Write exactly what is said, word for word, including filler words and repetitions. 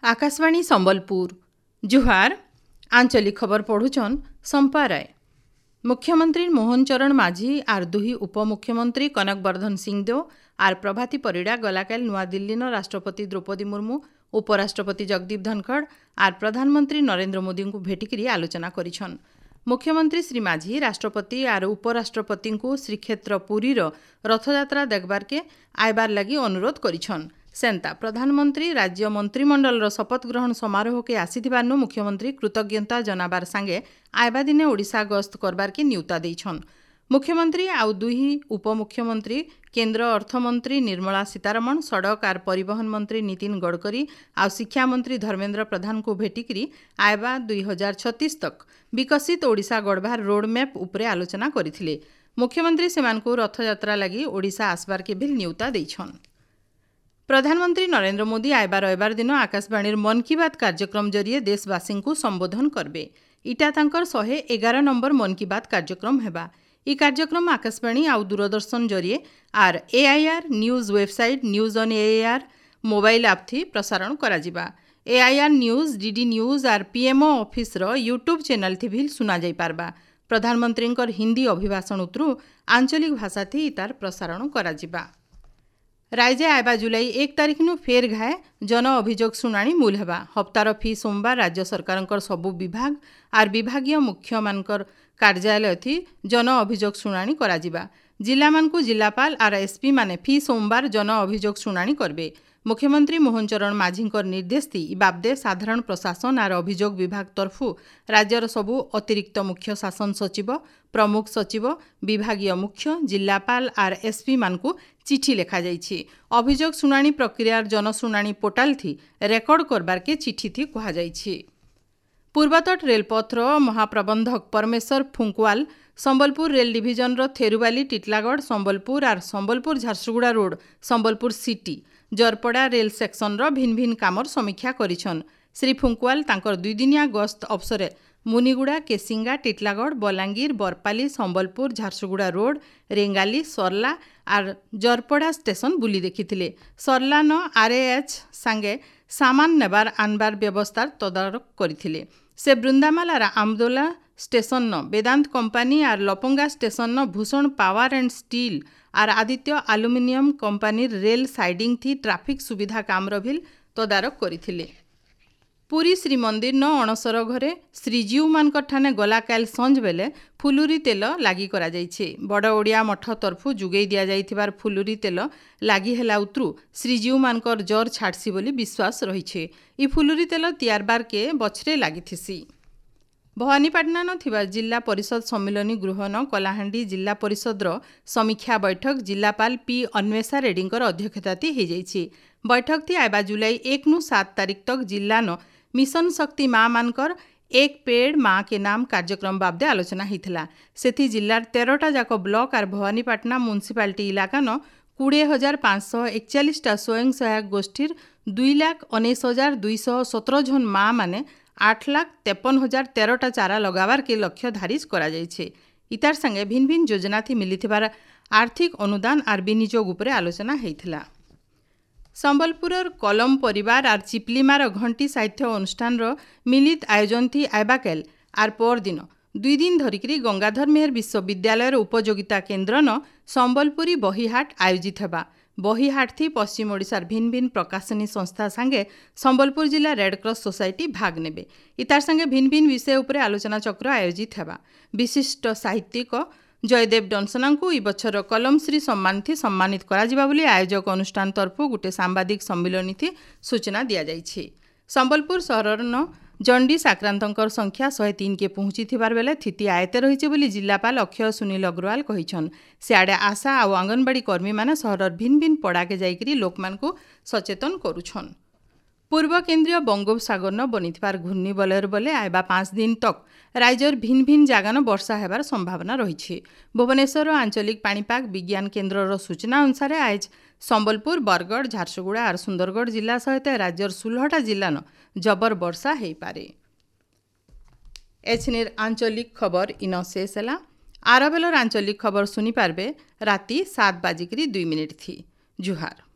ଆକାଶବାଣୀ ସମ୍ବଲପୁର ଜୁହାର ଆଞ୍ଚଳିକ ଖବର ପଢ଼ୁଛନ୍ ସମ୍ପା ରାୟ ମୁଖ୍ୟମନ୍ତ୍ରୀ ମୋହନ ଚରଣ ମାଝୀ ଆର୍ ଦୁହି ଉପମୁଖ୍ୟମନ୍ତ୍ରୀ କନକ ବର୍ଦ୍ଧନ ସିଂଦେଓ ଆର୍ ପ୍ରଭାତୀ ପରିଡ଼ା ଗଲାକାଲି ନୂଆଦିଲ୍ଲୀନ ରାଷ୍ଟ୍ରପତି ଦ୍ରୌପଦୀ ମୁର୍ମୁ ଉପରାଷ୍ଟ୍ରପତି ଜଗଦୀପ ଧନଖଡ଼ ଆର୍ ପ୍ରଧାନମନ୍ତ୍ରୀ ନରେନ୍ଦ୍ର ମୋଦିଙ୍କୁ ଭେଟିକରି ଆଲୋଚନା କରିଛନ୍ ମୁଖ୍ୟମନ୍ତ୍ରୀ ଶ୍ରୀ ମାଝୀ ରାଷ୍ଟ୍ରପତି ଆର୍ ଉପରାଷ୍ଟ୍ରପତିଙ୍କୁ ଶ୍ରୀକ୍ଷେତ୍ର ପୁରୀର ରଥଯାତ୍ରା ଦେଖବାର୍କେ ଆଇବାର୍ ଲାଗି ଅନୁରୋଧ କରିଛନ୍ ସେନ୍ତା ପ୍ରଧାନମନ୍ତ୍ରୀ ରାଜ୍ୟ ମନ୍ତ୍ରିମଣ୍ଡଳର ଶପଥ ଗ୍ରହଣ ସମାରୋହକେ ଆସିଥିବାରୁ ମୁଖ୍ୟମନ୍ତ୍ରୀ କୃତଜ୍ଞତା ଜନାବାର ସାଙ୍ଗେ ଆଇବା ଦିନେ ଓଡ଼ିଶା ଗସ୍ତ କରବାର୍କେ ନିୟୁତା ଦେଇଛନ୍ ମୁଖ୍ୟମନ୍ତ୍ରୀ ଆଉ ଦୁହି ଉପମୁଖ୍ୟମନ୍ତ୍ରୀ କେନ୍ଦ୍ର ଅର୍ଥମନ୍ତ୍ରୀ ନିର୍ମଳା ସୀତାରମଣ ସଡ଼କ ଆର୍ ପରିବହନ ମନ୍ତ୍ରୀ ନୀତିନ ଗଡ଼କରୀ ଆଉ ଶିକ୍ଷାମନ୍ତ୍ରୀ ଧର୍ମେନ୍ଦ୍ର ପ୍ରଧାନଙ୍କୁ ଭେଟିକରି ଆଇବା ଦୁଇ ହଜାର ଛତିଶ ତକ୍ ବିକଶିତ ଓଡ଼ିଶା ଗଢ଼ବାର୍ ରୋଡ୍ ମ୍ୟାପ୍ ଉପରେ ଆଲୋଚନା କରିଥିଲେ ମୁଖ୍ୟମନ୍ତ୍ରୀ ସେମାନଙ୍କୁ ରଥଯାତ୍ରା ଲାଗି ଓଡ଼ିଶା ଆସବାର୍କେ ବି ନିୟୁତା ଦେଇଛନ୍ ପ୍ରଧାନମନ୍ତ୍ରୀ ନରେନ୍ଦ୍ର ମୋଦି ଆଇବା ରବିବାର ଦିନ ଆକାଶବାଣୀର ମନ୍ କି ବାତ୍ କାର୍ଯ୍ୟକ୍ରମ ଜରିଏ ଦେଶବାସୀଙ୍କୁ ସମ୍ବୋଧନ କରିବେ ଇଟା ତାଙ୍କର ଶହେ ଏଗାର ନମ୍ବର ମନ୍ କି ବାତ୍ କାର୍ଯ୍ୟକ୍ରମ ହେବା ଇ କାର୍ଯ୍ୟକ୍ରମ ଆକାଶବାଣୀ ଆଉ ଦୂରଦର୍ଶନ ଜରିଏ ଆର୍ AIR news website news on AIR mobile app ଥି ପ୍ରସାରଣ କରାଯିବା ଏଆଇଆର୍ ନ୍ୟୁଜ୍ ଡିଡି ନ୍ୟୁଜ୍ ଆର୍ ପିଏମ୍ଓ ଅଫିସର ୟୁଟ୍ୟୁବ୍ ଚ୍ୟାନେଲ୍ ଥି ବି ଶୁଣାଯାଇପାରବା ପ୍ରଧାନମନ୍ତ୍ରୀଙ୍କର ହିନ୍ଦୀ ଅଭିଭାଷଣ ଉତରୁ ଆଞ୍ଚଳିକ ଭାଷା ଥି ତାର ପ୍ରସାରଣ କରାଯିବା ରାଇଜେ ଆଇବା ଜୁଲାଇ ଏକ ତାରିଖନୁ ଫେର୍ ଘାଏ ଜନ ଅଭିଯୋଗ ଶୁଣାଣି ମୂଲ ହେବା ହପ୍ତାର ଫି ସୋମବାର ରାଜ୍ୟ ସରକାରଙ୍କର ସବୁ ବିଭାଗ ଆର୍ ବିଭାଗୀୟ ମୁଖ୍ୟମାନଙ୍କର କାର୍ଯ୍ୟାଳୟ ଥି ଜନ ଅଭିଯୋଗ ଶୁଣାଣି କରାଯିବା ଜିଲ୍ଲାମାନଙ୍କୁ ଜିଲ୍ଲାପାଳ ଆର୍ ଏସ୍ପି ମାନେ ଫି ସୋମବାର ଜନ ଅଭିଯୋଗ ଶୁଣାଣି କରିବେ ମୁଖ୍ୟମନ୍ତ୍ରୀ ମୋହନ ଚରଣ ମାଝୀଙ୍କର ନିର୍ଦ୍ଦେଶ ଥି ଇ ବାବଦେ ସାଧାରଣ ପ୍ରଶାସନ ଆର୍ ଅଭିଯୋଗ ବିଭାଗ ତରଫୁ ରାଜ୍ୟର ସବୁ ଅତିରିକ୍ତ ମୁଖ୍ୟ ଶାସନ ସଚିବ ପ୍ରମୁଖ ସଚିବ ବିଭାଗୀୟ ମୁଖ୍ୟ ଜିଲ୍ଲାପାଳ ଆର୍ ଏସ୍ପି ମାନଙ୍କୁ ଚିଠି ଲେଖାଯାଇଛି ଅଭିଯୋଗ ଶୁଣାଣି ପ୍ରକ୍ରିୟାର ଜନଶୁଣାଣି ପୋର୍ଟାଲ ଥି ରେକର୍ଡ କରବାର୍କେ ଚିଠି ଥି କୁହାଯାଇଛି ପୂର୍ବତଟ ରେଳପଥର ମହାପ୍ରବନ୍ଧକ ପରମେଶ୍ୱର ଫୁଙ୍କୁଆଲ ସମ୍ବଲପୁର ରେଲ ଡିଭିଜନର ଥେରୁବାଲି ଟିଟଲାଗଡ଼ ସମ୍ବଲପୁର ଆର୍ Sambalpur Jharsuguda road Sambalpur city Jarapada rail ସେକ୍ସନର ଭିନ୍ ଭିନ୍ କାମର ସମୀକ୍ଷା କରିଛନ୍ ଶ୍ରୀ ଫୁଙ୍କୁଆଲ ତାଙ୍କର ଦୁଇଦିନିଆ ଗସ୍ତ ଅବସରେ ମୁନିଗୁଡ଼ା କେସିଙ୍ଗା ଟିଟଲାଗଡ଼ ବଲାଙ୍ଗୀର ବରପାଲି ସମ୍ବଲପୁର ଝାରସୁଗୁଡ଼ା ରୋଡ୍ ରେଙ୍ଗାଲି ସର୍ଲା ଆର୍ ଜରପଡ଼ା ଷ୍ଟେସନ ବୁଲି ଦେଖିଥିଲେ ସର୍ଲାନ ଆର୍ଏଏଚ୍ ସାଙ୍ଗେ ସାମାନ ନେବାର ଆନବାର ବ୍ୟବସ୍ଥାର ତଦାରଖ କରିଥିଲେ ସେ ବୃନ୍ଦାମାଲ ଆର୍ ଆମଦୋଲା ଷ୍ଟେସନନ ବେଦାନ୍ତ କମ୍ପାନୀ ଆର୍ ଲପଙ୍ଗା ଷ୍ଟେସନନ ଭୂଷଣ ପାୱାର ଆଣ୍ଡ ଷ୍ଟିଲ୍ ଆର୍ ଆଦିତ୍ୟ ଆଲୁମିନିୟମ କମ୍ପାନୀର ରେଲ୍ ସାଇଡିଂ ଥି ଟ୍ରାଫିକ୍ ସୁବିଧା କାମର ଭିଲ୍ ତଦାରଖ କରିଥିଲେ ପୁରୀ ଶ୍ରୀମନ୍ଦିରନ ଅଣସର ଘରେ ଶ୍ରୀଜୀଉମାନଙ୍କର ଠାନେ ଗଲାକାଲି ସଞ୍ଜ ବେଲେ ଫୁଲୁରି ତେଲ ଲାଗି କରାଯାଇଛି ବଡ଼ ଓଡ଼ିଆ ମଠ ତରଫୁ ଯୋଗେଇ ଦିଆଯାଇଥିବାର ଫୁଲୁରି ତେଲ ଲାଗି ହେଲା ଉତରୁ ଶ୍ରୀଜୀଉମାନଙ୍କର ଜର ଛାଡ଼ସି ବୋଲି ବିଶ୍ୱାସ ରହିছে ଇ ଫୁଲୁରି ତେଲ ତିଆରବାରକେ ବଛରେ ଲାଗିଥିସି ଭବାନୀପାଟଣାନ ଥିବା ଜିଲ୍ଲା ପରିଷଦ ସମ୍ମିଳନୀ ଗୃହନ କଳାହାଣ୍ଡି ଜିଲ୍ଲା ପରିଷଦର ସମୀକ୍ଷା ବୈଠକ ଜିଲ୍ଲାପାଳ ପି ଅନ୍ୱେଷା ରେଡ୍ଡୀଙ୍କର ଅଧ୍ୟକ୍ଷତାତି ହେଇଯାଇଛି ବୈଠକ ଥି ଆଇବା ଜୁଲାଇ ଏକ ନୁ ସାତ ତାରିଖ ତକ ଜିଲ୍ଲାନ ମିଶନ ଶକ୍ତି ମା ମାନଙ୍କର ଏକ ପେଡ଼ ମା କେ ନାମ କାର୍ଯ୍ୟକ୍ରମ ବାବଦେ ଆଲୋଚନା ହେଇଥିଲା ସେଥି ଜିଲ୍ଲାର ତେରଟା ଯାକ ବ୍ଲକ ଆର୍ ଭବାନୀପାଟଣା ମ୍ୟୁନିସିପାଲିଟି ଇଲାକାନ କୋଡ଼ିଏ ହଜାର ପାଞ୍ଚଶହ ଏକଚାଳିଶଟା ସ୍ୱୟଂ ସହାୟକ ଗୋଷ୍ଠୀର ଦୁଇ ଲାଖ ଉଣେଇଶ ହଜାର ଦୁଇଶହ ସତର ଜଣ ମା ମାନେ ଆଠ ଲାଖ ତେପନ ହଜାର ତେରଟା ଚାରା ଲଗାବାର୍କେ ଲକ୍ଷ୍ୟ ଧାରିଜ କରାଯାଇଛି ଇତାର ସାଙ୍ଗେ ଭିନ୍ ଭିନ୍ ଯୋଜନାଥି ମିଲିଥିବାର ଆର୍ଥିକ ଅନୁଦାନ ଆର୍ ବିନିଯୋଗ ଉପରେ ଆଲୋଚନା ହେଇଥିଲା ସମ୍ବଲପୁରର କଲମ ପରିବାର ଆର୍ ଚିପଲିମାର ଘଣ୍ଟି ସାହିତ୍ୟ ଅନୁଷ୍ଠାନର ମିଳିତ ଆୟୋଜନ ଥି ଆଇବାକେଲ ଆର୍ ପରଦିନ ଦୁଇ ଦିନ ଧରିକିରି ଗଙ୍ଗାଧର ମେହେର ବିଶ୍ୱବିଦ୍ୟାଳୟର ଉପଯୋଗିତା କେନ୍ଦ୍ରନ ସମ୍ବଲପୁରୀ ବହିହାଟ ଆୟୋଜିତ ହେବା ବହିହାଟ ଥି ପଶ୍ଚିମ ଓଡ଼ିଶାର ଭିନ୍ ଭିନ୍ ପ୍ରକାଶନୀ ସଂସ୍ଥା ସାଙ୍ଗେ ସମ୍ବଲପୁର ଜିଲ୍ଲା ରେଡ୍କ୍ରସ୍ ସୋସାଇଟି ଭାଗ ନେବେ ଇତାର ସାଙ୍ଗେ ଭିନ୍ ଭିନ୍ ବିଷୟ ଉପରେ ଆଲୋଚନା ଚକ୍ର ଆୟୋଜିତ ହେବା ବିଶିଷ୍ଟ ସାହିତ୍ୟିକ ଜୟଦେବ ଡନସନାଙ୍କୁ ଇ ବଛର କଲମଶ୍ରୀ ସମ୍ମାନଥି ସମ୍ମାନିତ କରାଯିବା ବୋଲି ଆୟୋଜକ ଅନୁଷ୍ଠାନ ତରଫୁ ଗୋଟେ ସାମ୍ବାଦିକ ସମ୍ମିଳନୀଥି ସୂଚନା ଦିଆଯାଇଛି ସମ୍ବଲପୁର ସହରର ଜଣ୍ଡିସ୍ ଆକ୍ରାନ୍ତଙ୍କର ସଂଖ୍ୟା ଶହେ ତିନିକେ ପହଞ୍ଚିଥିବାର ବେଲେ ସ୍ଥିତି ଆୟତ୍ତେ ରହିছে ବୋଲି ଜିଲ୍ଲାପାଳ ଅକ୍ଷୟ ସୁନୀଲ ଅଗ୍ରୱାଲ କହିଛନ୍ ସିଆଡ଼େ ଆଶା ଆଉ ଅଙ୍ଗନବାଡ଼ି କର୍ମୀମାନେ ସହରର ଭିନ୍ ଭିନ୍ ପଡ଼ାକେ ଯାଇକରି ଲୋକମାନଙ୍କୁ ସଚେତନ କରୁଛନ୍ ପୂର୍ବ କେନ୍ଦ୍ରୀୟ ବଙ୍ଗୋପସାଗରନ ବନିଥିବାର ଘୂର୍ଣ୍ଣିବଲୟର ବଲେ ଆଇବା ପାଞ୍ଚ ଦିନ ତକ୍ ରାଜ୍ୟର ଭିନ୍ ଭିନ୍ ଜାଗାନ ବର୍ଷା ହେବାର ସମ୍ଭାବନା ରହିଛି ଭୁବନେଶ୍ୱର ଆଞ୍ଚଳିକ ପାଣିପାଗ ବିଜ୍ଞାନ କେନ୍ଦ୍ରର ସୂଚନା ଅନୁସାରେ ଆଜ ସମ୍ବଲପୁର ବରଗଡ଼ ଝାରସୁଗୁଡ଼ା ଆର୍ ସୁନ୍ଦରଗଡ଼ ଜିଲ୍ଲା ସହିତ ରାଜ୍ୟର ଷୋହଳଟା ଜିଲ୍ଲାନ ଜବର ବର୍ଷା ହେଇପାରେ ଏଛିନିର ଆଞ୍ଚଳିକ ଖବର ଇନ ଶେଷ ହେଲା ଆରବେଲର ଆଞ୍ଚଳିକ ଖବର ଶୁଣିପାରିବେ ରାତି ସାତ ବାଜିକିରି ଦୁଇ ମିନିଟ୍ ଥି ଜୁହାର